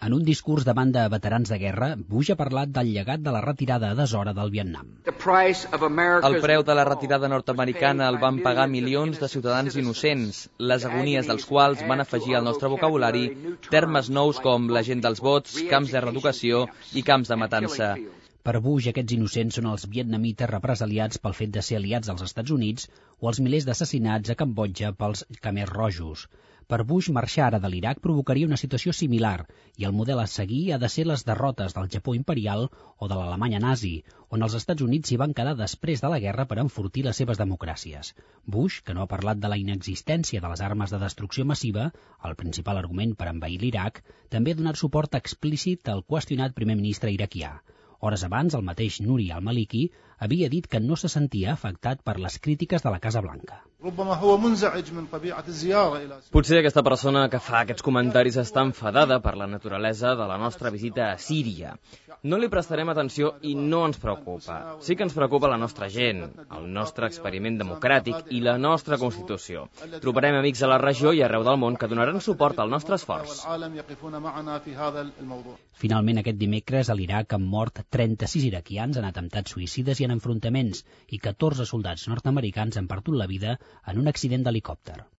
En un discurs davant de veterans de guerra, Bush ha parlat del llegat de la retirada a deshora del Vietnam. El preu de la retirada nord-americana el van pagar milions de ciutadans innocents, les agonies dels quals van afegir al nostre vocabulari termes nous com la gent dels vots, camps de reeducació i camps de matança. Per Bush, aquests innocents són els vietnamites represaliats pel fet de ser aliats dels Estats Units o els milers d'assassinats a Cambodja pels Khmers rojos. Per Bush, marxar ara de l'Iraq provocaria una situació similar i el model a seguir ha de ser les derrotes del Japó imperial o de l'Alemanya nazi, on els Estats Units s'hi van quedar després de la guerra per enfortir les seves democràcies. Bush, que no ha parlat de la inexistència de les armes de destrucció massiva, el principal argument per envair l'Iraq, també ha donat suport explícit al qüestionat primer ministre iraquià. Hores abans, el mateix Nouri al-Maliki havia dit que no se sentia afectat per les crítiques de la Casa Blanca. Potser aquesta persona que fa aquests comentaris està enfadada per la naturalesa de la nostra visita a Síria. No li prestarem atenció i no ens preocupa. Sí que ens preocupa la nostra gent, el nostre experiment democràtic i la nostra Constitució. Trobarem amics a la regió i arreu del món que donaran suport al nostre esforç. Finalment, aquest dimecres a l'Iraq han mort 36 iraquians en atemptats suïcides i en enfrontaments i 14 soldats nord-americans han perdut la vida en un accident d'helicòpter.